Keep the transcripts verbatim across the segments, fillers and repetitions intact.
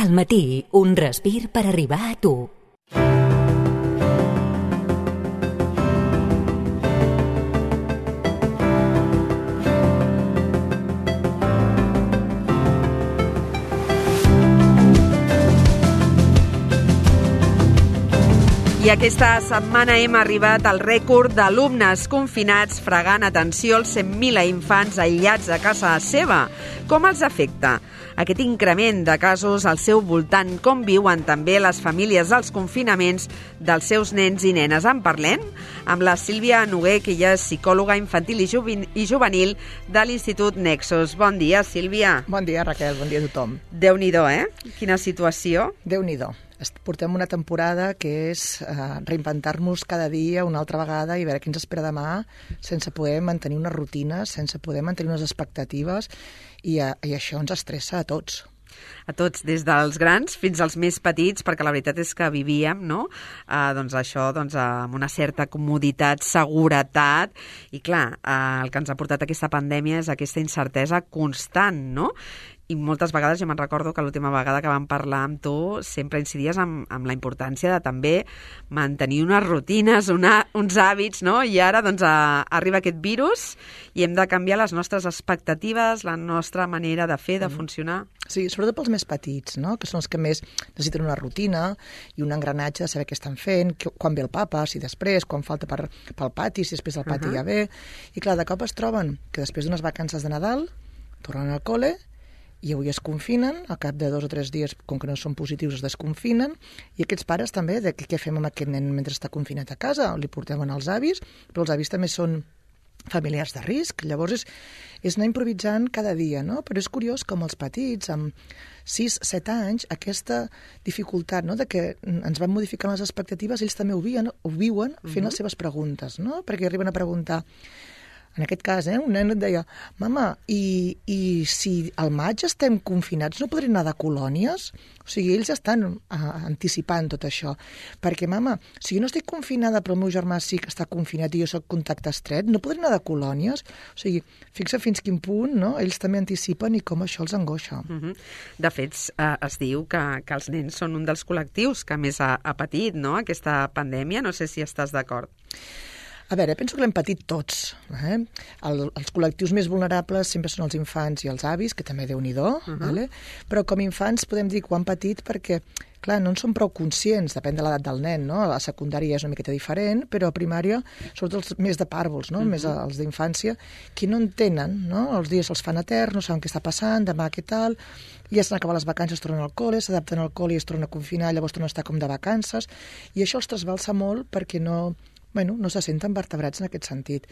Al matí, un respir per arribar a tu. I aquesta setmana hem arribat al rècord d'alumnes confinats fregant atenció als cent mil infants aïllats a casa seva. Com els afecta aquest increment de casos al seu voltant? Com viuen també les famílies dels confinaments dels seus nens i nenes? En parlem amb la Sílvia Noguer, que ella és psicòloga infantil i juvenil de l'Institut Nexus. Bon dia, Sílvia. Bon dia, Raquel. Bon dia a tothom. Déu-n'hi-do, eh? Quina situació. Déu-n'hi-do. Portem una temporada que és uh, reinventar-nos cada dia una altra vegada i veure què ens espera demà, sense poder mantenir una rutina, sense poder mantenir unes expectatives, i, uh, i això ens estressa a tots. A tots, des dels grans fins als més petits, perquè la veritat és que vivíem, no? Uh, doncs això, doncs, uh, amb una certa comoditat, seguretat, i clar, uh, el que ens ha portat aquesta pandèmia és aquesta incertesa constant, no? I moltes vegades, jo me'n recordo que l'última vegada que vam parlar amb tu sempre incidies amb, amb la importància de també mantenir unes rutines, una, uns hàbits, no? I ara doncs a, arriba aquest virus i hem de canviar les nostres expectatives, la nostra manera de fer, de funcionar. Sí, sobretot pels més petits, no? Que són els que més necessiten una rutina i un engranatge de saber què estan fent, que, quan ve el papa, si després, quan falta per, pel pati, si després del pati uh-huh. ja ve. I clar, de cop es troben que després d'unes vacances de Nadal tornen al col·le i avui es confinen, al cap de dos o tres dies, com que no són positius, es desconfinen, i aquests pares també, de què fem amb aquest nen mentre està confinat a casa? Li portem als avis, però els avis també són familiars de risc, llavors és, és anar improvisant cada dia, no? Però és curiós com els petits, amb sis set anys, aquesta dificultat, no?, de que ens van modificant les expectatives, ells també ho viuen, ho viuen fent uh-huh. les seves preguntes, no? Perquè arriben a preguntar. En aquest cas, eh, un nen et deia, mama, i, i si al maig estem confinats, no podrem anar de colònies? O sigui, ells estan uh, anticipant tot això. Perquè, mama, si jo no estic confinada però el meu germà sí que està confinat i jo soc contacte estret, no podrem anar de colònies? O sigui, fixa fins quin punt, no? Ells també anticipen i com això els angoixa. Uh-huh. De fet, eh, es diu que, que els nens són un dels col·lectius que més ha, ha patit, no?, aquesta pandèmia. No sé si estàs d'acord. A veure, penso que l'hem patit tots. Eh? El, els col·lectius més vulnerables sempre són els infants i els avis, que també Déu-n'hi-do, uh-huh. vale? Però com a infants podem dir que ho han patit perquè, clar, no en som prou conscients, depèn de l'edat del nen, no? A la secundària és una miqueta diferent, però a primària, sobretot els més de pàrvols, no? Uh-huh. Més els d'infància, que no entenen, no? Els dies els fan eterns, no saben què està passant, demà què tal, ja s'han acabat les vacances, tornen al col·le, s'adapten al col·le i es tornen a confinar, llavors tornen a estar com de vacances, i això els trasbalsa molt perquè no... Bueno, no se senten vertebrats en aquest sentit.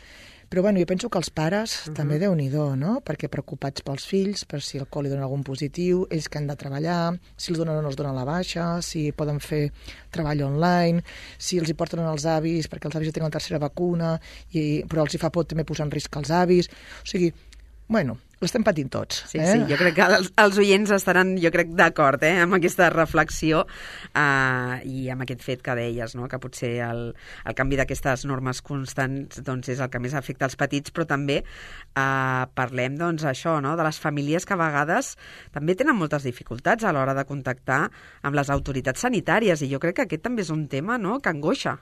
Però bueno, jo penso que els pares uh-huh. també Déu-n'hi-do, no? Perquè preocupats pels fills, per si el col·le dona algun positiu, ells que han de treballar, si els donen o no els donen la baixa, si poden fer treball online, si els hi porten als avis, perquè els avis ja tenen la tercera vacuna, i, però els hi fa por també posar en risc els avis. O sigui, bueno, l'estem patint tots. Sí, eh? sí, jo crec que els, els oients estaran, jo crec, d'acord eh, amb aquesta reflexió uh, i amb aquest fet que deies, no?, que potser el, el canvi d'aquestes normes constants doncs, és el que més afecta els petits, però també uh, parlem doncs, això, no?, de les famílies que a vegades també tenen moltes dificultats a l'hora de contactar amb les autoritats sanitàries, i jo crec que aquest també és un tema, no?, que angoixa.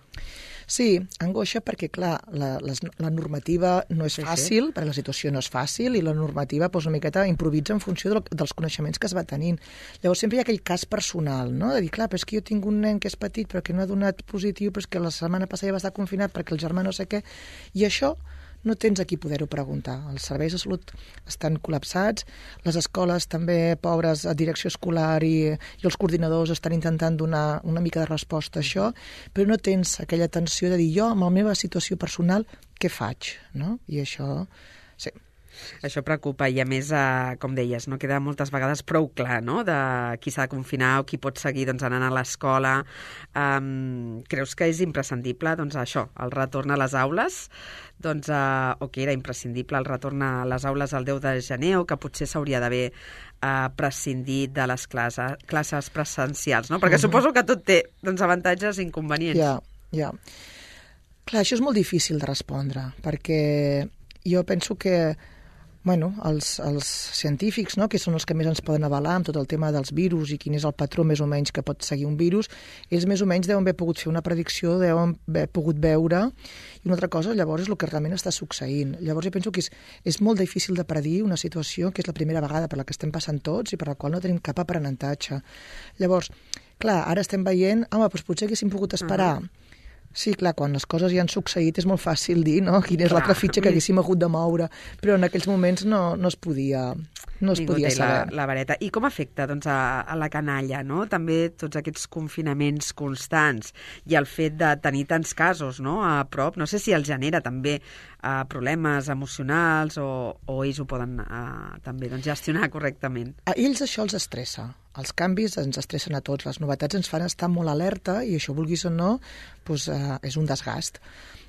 Sí, angoixa perquè, clar, la, la, la normativa no és fàcil, sí, sí. perquè la situació no és fàcil, i la normativa doncs, una miqueta improvisa en funció de, dels coneixements que es va tenint. Llavors sempre hi ha aquell cas personal, no?, de dir, clar, però és que jo tinc un nen que és petit però que no ha donat positiu, però és que la setmana passada ja va estar confinat perquè el germà no sé què, i això no tens a qui poder-ho preguntar. Els serveis de salut estan col·lapsats, les escoles també, pobres, a direcció escolar i, i els coordinadors estan intentant donar una mica de resposta a això, però no tens aquella atenció de dir jo, amb la meva situació personal, què faig? No? I això, sí. Això preocupa i, a més, eh, com deies, no queda moltes vegades prou clar, no?, de qui s'ha de confinar o qui pot seguir doncs, anant a l'escola. Um, creus que és imprescindible doncs, això, el retorn a les aules? Doncs, uh, o que era imprescindible el retorn a les aules el deu de gener, o que potser s'hauria d'haver uh, prescindit de les classes, classes presencials, no? Perquè uh-huh. suposo que tot té doncs, avantatges i inconvenients. Ja, ja. Clar, això és molt difícil de respondre, perquè jo penso que Bueno, els, els científics, no?, que són els que més ens poden avalar amb tot el tema dels virus i quin és el patró més o menys que pot seguir un virus, ells més o menys deuen haver pogut fer una predicció, deuen haver pogut veure, i una altra cosa, llavors, és el que realment està succeint. Llavors, jo penso que és, és molt difícil de predir una situació que és la primera vegada per la que estem passant tots i per la qual no tenim cap aprenentatge. Llavors, clar, ara estem veient, home, doncs potser haguéssim pogut esperar. Uh-huh. Sí, clar, quan les coses ja han succeït és molt fàcil dir, no?, quina és l'altra fitxa que haguéssim hagut de moure, però en aquells moments no, no es podia, no es Ningú podia té saber. La, la vareta. I com afecta, doncs, a, a la canalla, no?, també tots aquests confinaments constants i el fet de tenir tants casos, no?, a prop, no sé si els genera també uh, problemes emocionals o, o ells ho poden uh, també doncs, gestionar correctament. A ells això els estressa. Els canvis ens estressen a tots, les novetats ens fan estar molt alerta i això, vulguis o no, doncs, uh, és un desgast.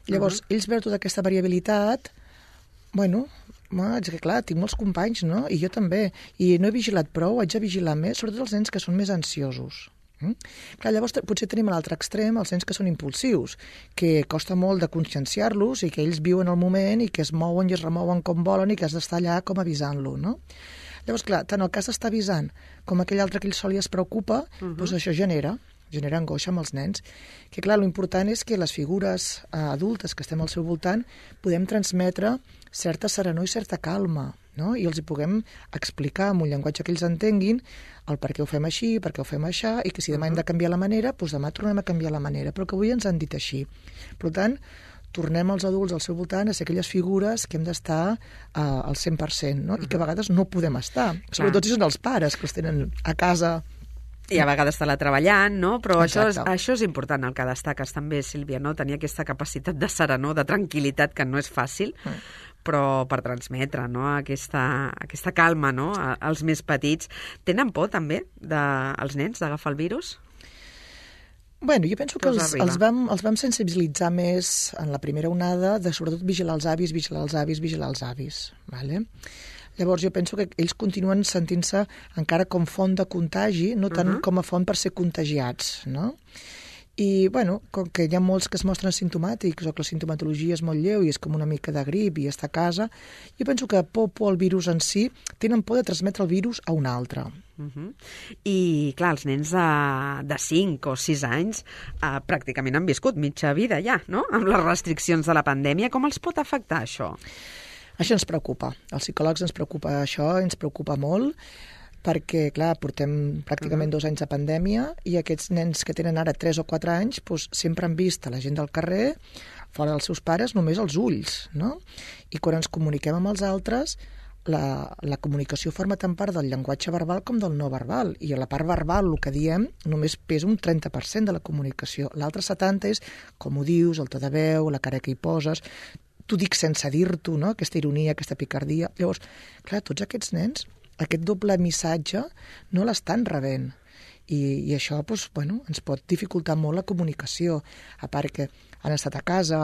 Llavors, uh-huh. ells veuen tota aquesta variabilitat, bueno, és que clar, tinc molts companys, no?, i jo també, i no he vigilat prou, haig de vigilar més, sobretot els nens que són més ansiosos. Mm? Clar, llavors potser tenim a l'altre extrem els nens que són impulsius, que costa molt de conscienciar-los i que ells viuen el moment i que es mouen i es remouen com volen i que has d'estar allà com avisant-lo, no? Llavors, clar, tant el cas d'estar avisant com aquell altre que ell sol i es preocupa, uh-huh. doncs això genera, genera angoixa amb els nens. Que clar, l'important és que les figures eh, adultes que estem al seu voltant podem transmetre certa serenor i certa calma, no? I els hi puguem explicar amb un llenguatge que ells entenguin el per què ho fem així, per què ho fem així, i que si demà hem de canviar la manera, doncs demà tornem a canviar la manera, però que avui ens han dit així. Per tant, tornem els adults al seu voltant a ser aquelles figures que hem d'estar uh, al cent per cent, no? I que a vegades no podem estar. Clar. Sobretot si són els pares, que els tenen a casa. I a vegades està treballant, no? Però això és, Exacte. això és important, el que destaques també, Sílvia, no? Tenir aquesta capacitat de serenor, de tranquil·litat, que no és fàcil, mm. però per transmetre, no?, aquesta, aquesta calma, no?, als més petits. Tenen por, també, de, els nens, d'agafar el virus? Bueno, jo penso que els, els, vam, els vam sensibilitzar més en la primera onada de sobretot vigilar els avis, vigilar els avis, vigilar els avis. Vale? Llavors jo penso que ells continuen sentint-se encara com font de contagi, no tant uh-huh. com a font per ser contagiats, no? I, bueno, com que hi ha molts que es mostren simptomàtics o que la sintomatologia és molt lleu i és com una mica de grip i està a casa, jo penso que por, por al virus en si, tenen por de transmetre el virus a un altre. Uh-huh. I, clar, els nens de, de cinc o sis anys eh, pràcticament han viscut mitja vida ja, no?, amb les restriccions de la pandèmia. Com els pot afectar això? Això ens preocupa. Els psicòlegs ens preocupa això, ens preocupa molt, perquè, clar, portem pràcticament uh-huh. dos anys de pandèmia i aquests nens que tenen ara tres o quatre anys doncs, sempre han vist a la gent del carrer, fora dels seus pares, només els ulls, no? I quan ens comuniquem amb els altres, la, la comunicació forma tant part del llenguatge verbal com del no verbal, i a la part verbal, el que diem, només pesa un trenta per cent de la comunicació. L'altre setanta per cent és com ho dius, el to de veu, la cara que hi poses, t'ho dic sense dir-t'ho, no?, aquesta ironia, aquesta picardia. Llavors, clar, tots aquests nens aquest doble missatge no l'estan rebent. I, i això doncs, bueno, ens pot dificultar molt la comunicació, a part que han estat a casa,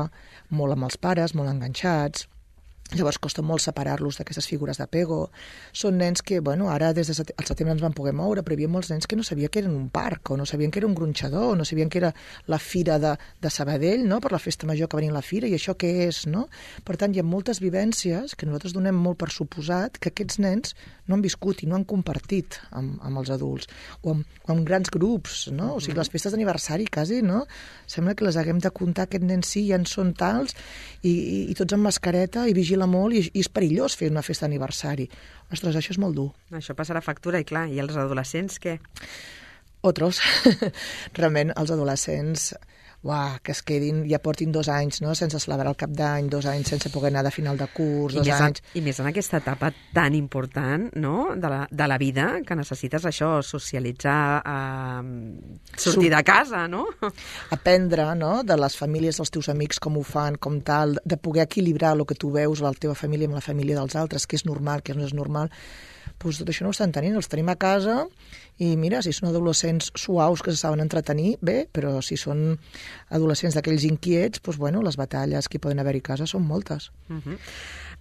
molt amb els pares, molt enganxats, llavors costa molt separar-los d'aquestes figures d'apego. Són nens que, bueno, ara des de el setembre ens van poder moure, però hi havia molts nens que no sabien que eren un parc, o no sabien que era un gronxador, o no sabien que era la fira de, de Sabadell, no?, per la festa major que venia a la fira, i això què és, no? Per tant, hi ha moltes vivències que nosaltres donem molt per suposat que aquests nens no han viscut i no han compartit amb, amb els adults, o amb, o amb grans grups, no? O sigui, les festes d'aniversari quasi, no? Sembla que les haguem de comptar, aquest nen sí, ja en són tals, i, i, i tots amb mascareta, i vigila molt, i, i és perillós fer una festa d'aniversari. Ostres, això és molt dur. Això passarà factura, i clar, i els adolescents què? Otros. Realment, els adolescents, uah, que es quedin, ja portin dos anys, no?, sense celebrar el cap d'any, dos anys sense poder anar de final de curs, I dos anys... En, I més en aquesta etapa tan important, no?, de la, de la vida, que necessites això, socialitzar, eh, sortir de casa, no? Aprendre, no?, de les famílies dels teus amics, com ho fan, com tal, de poder equilibrar el que tu veus a la teva família amb la família dels altres, que és normal, que no és normal, doncs tot això no ho estan tenint, els tenim a casa, i mira, si són adolescents suaus que se saben entretenir, bé, però si són adolescents d'aquells inquiets, doncs, bueno, les batalles que poden haver-hi a casa són moltes. Uh-huh.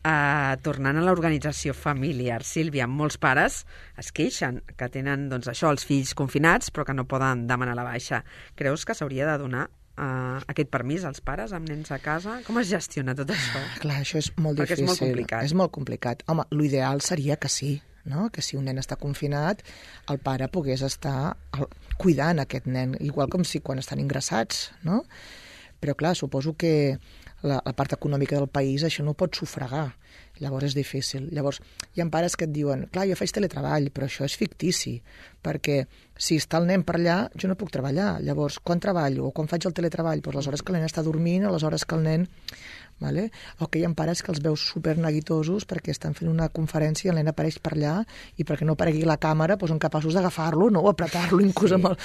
Uh, tornant a l'organització familiar, Sílvia, molts pares es queixen que tenen, doncs, això, els fills confinats, però que no poden demanar la baixa. Creus que s'hauria de donar uh, aquest permís als pares amb nens a casa? Com es gestiona tot això? Clar, això és molt Perquè difícil. és molt complicat. És molt complicat. Home, l'ideal seria que sí, no? Que si un nen està confinat, el pare pogués estar cuidant aquest nen, igual com si quan estan ingressats, no? Però clar, suposo que la, la part econòmica del país això no ho pot sufragar. Llavors és difícil. Llavors, hi ha pares que et diuen, clar, jo faig teletreball, però això és fictici, perquè si està el nen per allà, jo no puc treballar. Llavors, quan treballo o quan faig el teletreball? Doncs les hores que el nen està dormint o les hores que el nen... Vale? O que hi ha pares que els veus superneguitosos perquè estan fent una conferència i el nen apareix per allà i perquè no aparegui la càmera doncs són capaços d'agafar-lo, no? O apretar-lo inclús sí. amb el...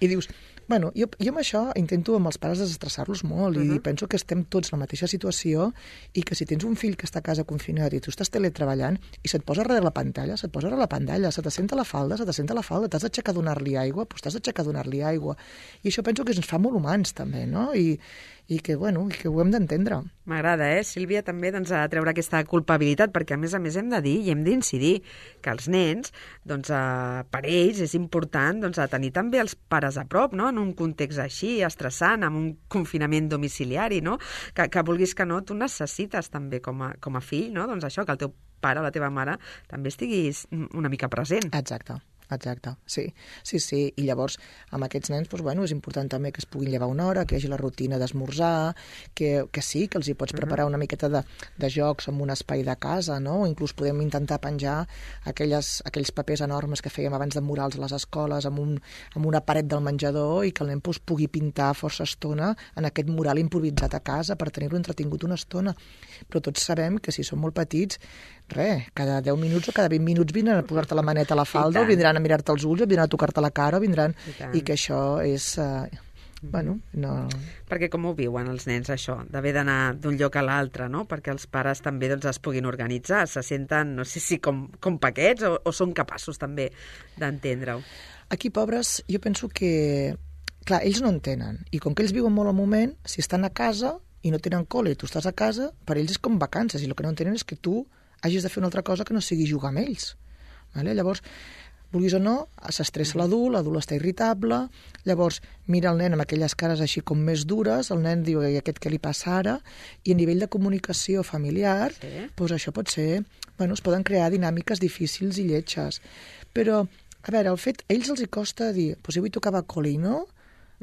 I dius, bueno, jo, jo amb això intento amb els pares desestressar-los molt uh-huh. i penso que estem tots en la mateixa situació i que si tens un fill que està a casa confinat i tu estàs teletreballant i se't posa darrere la pantalla, se't posa darrere la pantalla, se t'assenta la falda, se t'assenta la falda, t'has d'aixecar a donar-li aigua, doncs t'has d'aixecar a donar-li aigua. I això penso que ens fa molt humans també, no? I, i que, bueno, que ho hem d'entendre. M'agrada, eh, Sílvia, també doncs, a treure aquesta culpabilitat, perquè a més a més hem de dir i hem d'incidir que els nens, doncs, eh, per ells és important doncs, a tenir també els pares a prop, no? En un context així, estressant, amb un confinament domiciliari, no? Que, que vulguis que no, tu necessites també com a, com a fill, no? Doncs això, que el teu pare o la teva mare també estiguis una mica present. Exacte. Exacte, sí, sí, sí, i llavors amb aquests nens doncs, bueno, és important també que es puguin llevar una hora, que hi hagi la rutina d'esmorzar, que, que sí, que els hi pots preparar una miqueta de, de jocs en un espai de casa, no? O inclús podem intentar penjar aquelles, aquells papers enormes que fèiem abans de murals a les escoles amb, un, amb una paret del menjador i que el nen doncs, pugui pintar força estona en aquest mural improvisat a casa per tenir-lo entretingut una estona. Però tots sabem que si són molt petits, res, cada deu minuts o cada vint minuts vindran a posar-te la maneta a la falda o vindran a mirar-te els ulls, o vindran a tocar-te la cara, o vindran... I, I que això és... Uh, bueno, no... Perquè com ho viuen els nens, això, d'haver d'anar d'un lloc a l'altre, no? Perquè els pares també doncs, es puguin organitzar, se senten, no sé si com, com paquets, o, o són capaços també d'entendre-ho. Aquí, pobres, jo penso que... Clar, ells no entenen, i com que ells viuen molt al moment, si estan a casa i no tenen col·le i tu estàs a casa, per ells és com vacances, i el que no entenen és que tu hagis de fer una altra cosa que no sigui jugar amb ells. Vale? Llavors, vulguis o no, s'estressa l'adult, l'adult està irritable, llavors mira el nen amb aquelles cares així com més dures, el nen diu, i aquest què li passa ara? I a nivell de comunicació familiar, sí. doncs això pot ser... Bueno, es poden crear dinàmiques difícils i lletges. Però, a veure, el fet, a ells els hi costa dir, doncs jo vull tocar col·le i no,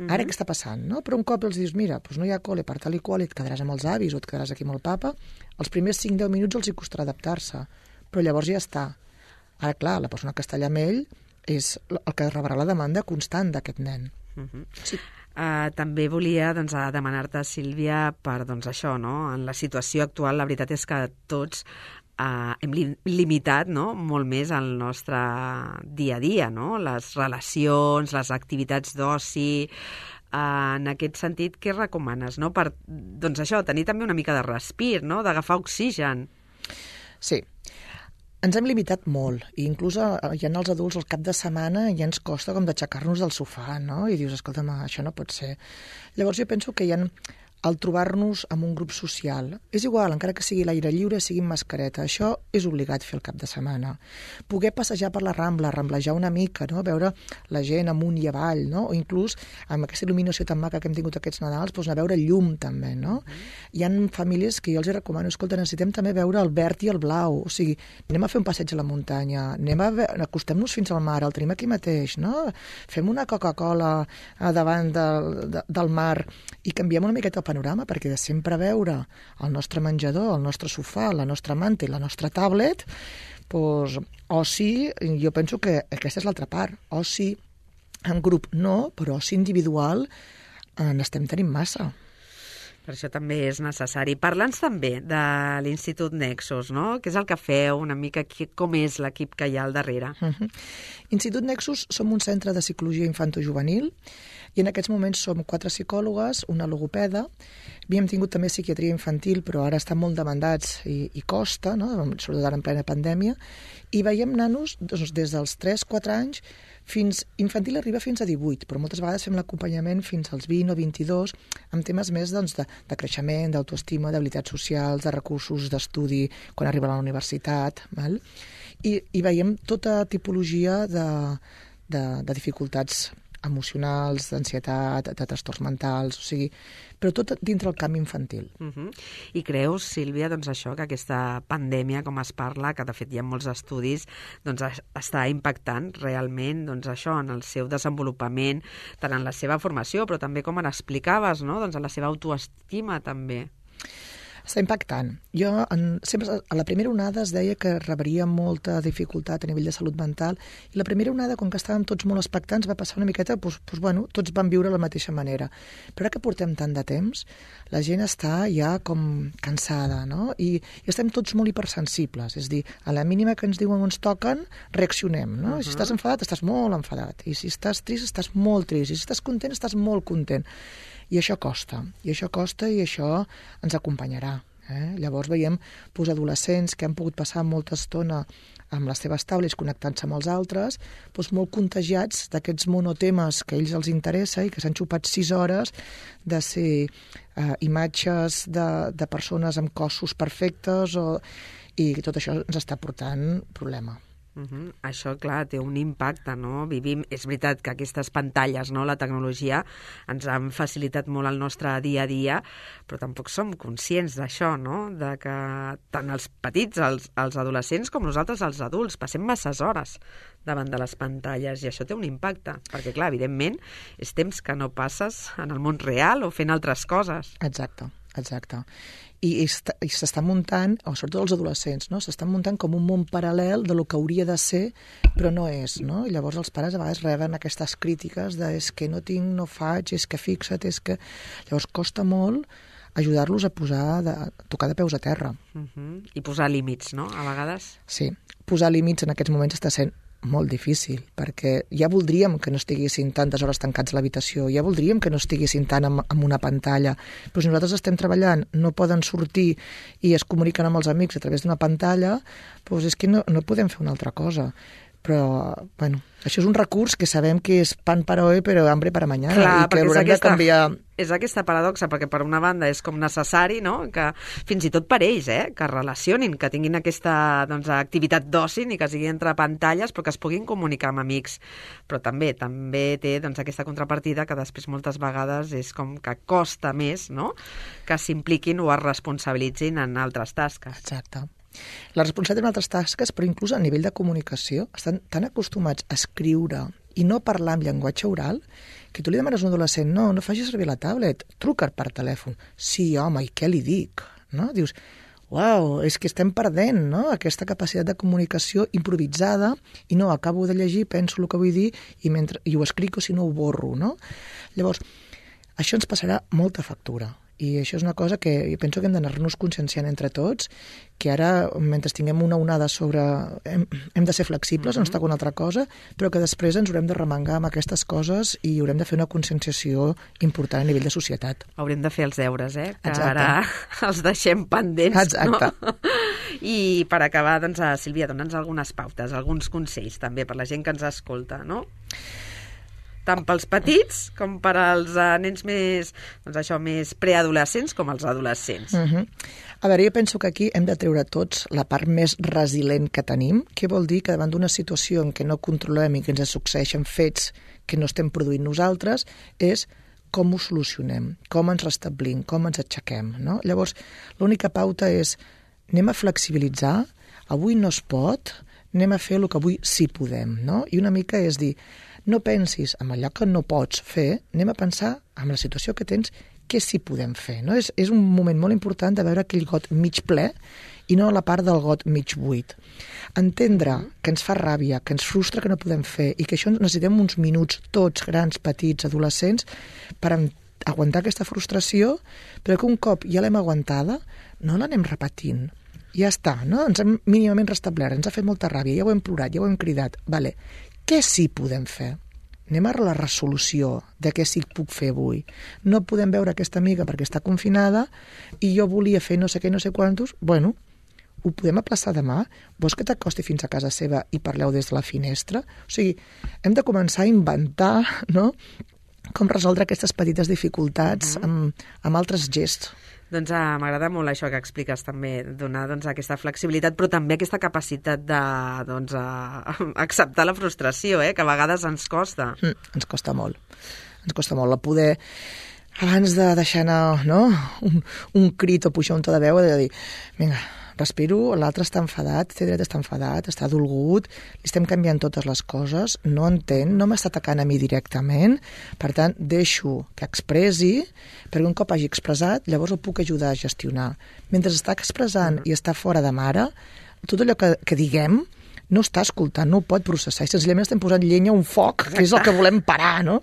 ara què està passant, no? Però un cop els dius, mira, doncs no hi ha col·le per tal i qual i et quedaràs amb els avis o et quedaràs aquí amb el papa, els primers cinc deu minuts els hi costarà adaptar-se, però llavors ja està. Ara, clar, la persona que està allà amb ell és el que rebrà la demanda constant d'aquest nen. Uh-huh. Sí. Uh, també volia doncs, demanar-te, Sílvia, per doncs, això, no? En la situació actual, la veritat és que tots Uh, hem li limitat no? molt més el nostre dia a dia, no? Les relacions, les activitats d'oci. Uh, en aquest sentit, què recomanes? No? Per doncs això, tenir també una mica de respir, no? D'agafar oxigen. Sí. Ens hem limitat molt, i inclús ja en els adults al cap de setmana ja ens costa com d'aixecar-nos del sofà, no? I dius, escolta'm, això no pot ser. Llavors jo penso que hi ha... el trobar-nos en un grup social. És igual, encara que sigui l'aire lliure, sigui amb mascareta. Això és obligat fer el cap de setmana. Poder passejar per la Rambla, ramblejar una mica, no? Veure la gent amunt i avall, no? O inclús amb aquesta il·luminació tan maca que hem tingut aquests Nadals, doncs anar a veure llum també, no? Mm. Hi ha famílies que jo els recomano, escolta, necessitem també veure el verd i el blau, o sigui, anem a fer un passeig a la muntanya, anem a acostem-nos fins al mar, el tenim aquí mateix, no? Fem una Coca-Cola davant del, de, del mar i canviem una miqueta el panorama, perquè de sempre veure el nostre menjador, el nostre sofà, la nostra manta i la nostra tablet, doncs, oci, jo penso que aquesta és l'altra part. Oci en grup no, però oci individual n'estem tenint massa. Per això també és necessari. Parla'ns també de l'Institut Nexus, no? Què és el que feu, una mica com és l'equip que hi ha al darrere? Uh-huh. Institut Nexus som un centre de psicologia infantojuvenil i en aquests moments som quatre psicòlogues, una logopeda, havíem tingut també psiquiatria infantil, però ara estan molt demandats i, i costa, no? Sobretot ara en plena pandèmia, i veiem nanos doncs, des dels tres quatre anys fins infantil arriba fins a divuit, però moltes vegades fem l'acompanyament fins als vint o vint-i-dos amb temes més doncs, de, de creixement, d'autoestima, d'habilitats socials, de recursos d'estudi quan arriba a la universitat, val? I, i veiem tota tipologia de, de, de dificultats emocionals, d'ansietat, de trastorns mentals, o sigui, però tot dintre el camp infantil. Uh -huh. I creus, Sílvia, doncs això, que aquesta pandèmia, com es parla, que de fet hi ha molts estudis, doncs està impactant realment doncs això en el seu desenvolupament, tant en la seva formació, però també, com ara explicaves, no? Doncs en la seva autoestima també. Està impactant. Jo, en, sempre, a la primera onada es deia que rebria molta dificultat a nivell de salut mental, i la primera onada, com que estàvem tots molt expectants, va passar una miqueta, doncs, doncs, bueno, tots van viure de la mateixa manera. Però ara que portem tant de temps, la gent està ja com cansada, no? I, i estem tots molt hipersensibles, és a dir, a la mínima que ens diuen o ens toquen, reaccionem, no? Uh-huh. Si estàs enfadat, estàs molt enfadat, i si estàs trist, estàs molt trist, i si estàs content, estàs molt content. I això costa, i això costa i això ens acompanyarà. Eh? Llavors veiem pues, adolescents que han pogut passar molta estona amb les seves taules connectant-se amb els altres, doncs molt contagiats d'aquests monotemes que a ells els interessa i que s'han xupat sis hores de ser eh, imatges de, de persones amb cossos perfectes o, i tot això ens està portant problema. Uh -huh. Això, clar, té un impacte, no? Vivim, és veritat que aquestes pantalles, no?, la tecnologia, ens han facilitat molt el nostre dia a dia, però tampoc som conscients d'això, no?, de que tant els petits, els, els adolescents, com nosaltres, els adults, passem masses hores davant de les pantalles, i això té un impacte, perquè, clar, evidentment, és temps que no passes en el món real o fent altres coses. Exacte, exacte. I, i s'està muntant, o sobretot els adolescents, no? S'estan muntant com un món paral·lel de lo que hauria de ser, però no és, no? I llavors els pares a vegades reben aquestes crítiques de és que no tinc, no faig, és que fixa't, és que... Llavors costa molt ajudar-los a posar, de, a tocar de peus a terra. Uh -huh. I posar límits, no?, a vegades. Sí, posar límits en aquests moments està sent molt difícil, perquè ja voldríem que no estiguessin tantes hores tancats a l'habitació, ja voldríem que no estiguessin tant amb, amb una pantalla, però si nosaltres estem treballant, no poden sortir i es comuniquen amb els amics a través d'una pantalla, doncs és que no, no podem fer una altra cosa. Però, bueno, això és un recurs que sabem que és pan para hoy, però hambre para mañana. Clar, i que haurem aquesta, de canviar... És aquesta paradoxa, perquè per una banda és com necessari, no?, que fins i tot per ells, eh?, que es relacionin, que tinguin aquesta doncs, activitat d'oci, ni que sigui entre pantalles, però que es puguin comunicar amb amics. Però també també té doncs, aquesta contrapartida que després moltes vegades és com que costa més, no?, que s'impliquin o es responsabilitzin en altres tasques. Exacte. La responsabilitat en altres tasques, però inclús a nivell de comunicació, estan tan acostumats a escriure i no parlar amb llenguatge oral, que tu li demanes a un adolescent, no, no facis servir la tablet, truca per telèfon. Sí, home, i què li dic? No? Dius, uau, és que estem perdent, no?, aquesta capacitat de comunicació improvisada, i no, acabo de llegir, penso el que vull dir, i, mentre, i ho escric o si no ho borro, no? Llavors, això ens passarà molta factura. I això és una cosa que jo penso que hem d'anar-nos conscienciant entre tots, que ara, mentre tinguem una onada sobre... Hem, hem de ser flexibles, mm-hmm. no està una altra cosa, però que després ens haurem de remengar amb aquestes coses i haurem de fer una conscienciació important a nivell de societat. Haurem de fer els deures, eh? Que Exacte. Ara els deixem pendents, Exacte. No? I per acabar, doncs, Sílvia, dona'ns algunes pautes, alguns consells també per la gent que ens escolta, no?, tant pels petits com per als uh, nens més, doncs això, més preadolescents com els adolescents. Uh-huh. A veure, jo penso que aquí hem de treure tots la part més resilient que tenim. Què vol dir? Que davant d'una situació en què no controlem i que ens succeeixen fets que no estem produint nosaltres, és com ho solucionem, com ens restablim, com ens aixequem, no? Llavors, l'única pauta és anem a flexibilitzar, avui no es pot, anem a fer el que avui sí podem, no? I una mica és dir, no pensis en allò que no pots fer, anem a pensar en la situació que tens, què sí podem fer, no? És, és un moment molt important de veure aquell got mig ple i no la part del got mig buit. Entendre que ens fa ràbia, que ens frustra que no podem fer i que això necessitem uns minuts, tots, grans, petits, adolescents, per aguantar aquesta frustració, però que un cop ja l'hem aguantada, no l'anem repetint. Ja està, no? Ens hem mínimament restablert, ens ha fet molta ràbia, ja ho hem plorat, ja ho hem cridat. Vale. Què sí podem fer? Anem a la resolució de què sí puc fer avui. No podem veure aquesta amiga perquè està confinada i jo volia fer no sé què, no sé quantos. Bueno, ho podem aplaçar demà? Vols que t'acosti fins a casa seva i parleu des de la finestra? O sigui, hem de començar a inventar, no?, com resoldre aquestes petites dificultats uh-huh. amb, amb altres gests. Doncs ah, m'agrada molt això que expliques també, donar doncs, aquesta flexibilitat, però també aquesta capacitat de doncs, a, acceptar la frustració, eh, que a vegades ens costa. Mm, ens costa molt. Ens costa molt la poder, abans de deixar anar, no?, un, un crit o pujar un to de veu, de dir, vinga, respiro, l'altre està enfadat, té dret a estar enfadat, està dolgut, li estem canviant totes les coses, no entén, no m'està atacant a mi directament, per tant, deixo que expressi, perquè un cop hagi expressat, llavors el puc ajudar a gestionar. Mentre està expressant i està fora de mare, tot allò que, que diguem no està escoltant, no ho pot processar, i senzillament estem posant llenya a un foc, que és el que volem parar, no?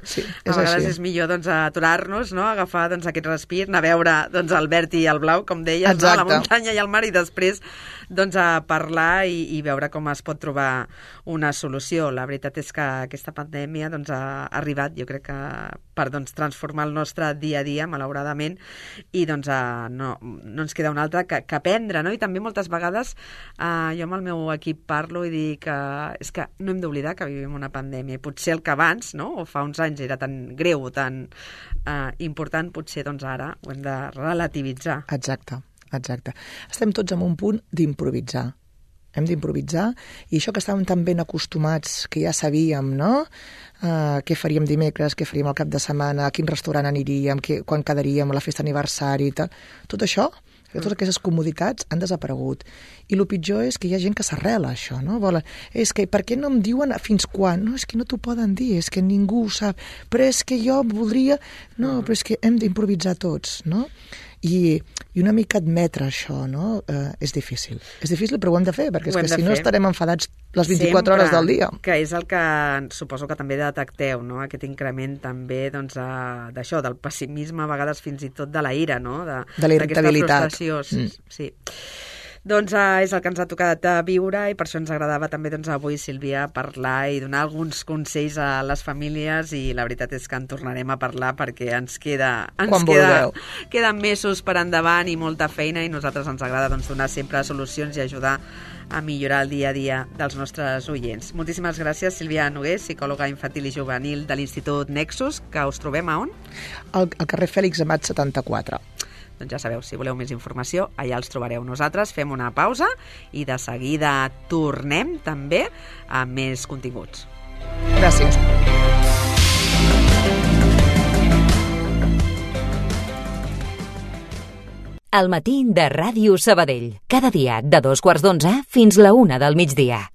Sí, és a vegades així. és millor doncs, aturar-nos, no? Agafar doncs, aquest respir, anar a veure doncs, el verd i el blau, com deies, no? La muntanya i el mar, i després doncs, a parlar i, i veure com es pot trobar una solució. La veritat és que aquesta pandèmia doncs, ha arribat, jo crec que per doncs, transformar el nostre dia a dia, malauradament, i doncs, a, no, no ens queda una altra que, que aprendre, no? I també moltes vegades eh, jo amb el meu equip parlo i dic que és que no hem d'oblidar que vivim una pandèmia, i potser el que abans, no? O fa uns anys era tan greu, tan eh, important, potser doncs ara ho hem de relativitzar. Exacte, exacte. Estem tots en un punt d'improvisar. Hem d'improvisar, i això que estàvem tan ben acostumats, que ja sabíem, no?, uh, què faríem dimecres, què faríem al cap de setmana, a quin restaurant aniríem, què, quan quedaríem a la festa d'aniversari, tal. Tot això, totes aquestes comoditats han desaparegut. I el pitjor és que hi ha gent que s'arrela a això, no? Volen, és que per què no em diuen fins quan? No, és que no t'ho poden dir, és que ningú ho sap. Però és que jo voldria... No, però és que hem d'improvisar tots, no? I, i una mica admetre això, no? Eh, és difícil. És difícil, però ho hem de fer, perquè és que si no estarem enfadats les vint-i-quatre hores del dia. Que és el que suposo que també detecteu, no? Aquest increment també doncs, d'això, del pessimisme, a vegades fins i tot de la ira, no? De, de la irritabilitat. Frustració, mm. sí. Doncs uh, és el que ens ha tocat uh, viure, i per això ens agradava també doncs, avui, Sílvia, parlar i donar alguns consells a les famílies, i la veritat és que en tornarem a parlar perquè ens queda, ens queda, queden mesos per endavant i molta feina, i a nosaltres ens agrada doncs, donar sempre solucions i ajudar a millorar el dia a dia dels nostres oients. Moltíssimes gràcies, Sílvia Nogués, psicòloga infantil i juvenil de l'Institut Nexus, que us trobem a on? Al, al carrer Fèlix Amat setanta-quatre. Doncs ja sabeu, si voleu més informació, allà els trobareu. Nosaltres fem una pausa i de seguida tornem també amb més continguts. Gràcies. Al matí de Ràdio Sabadell. Cada dia de dos quarts d'onze fins la una del migdia.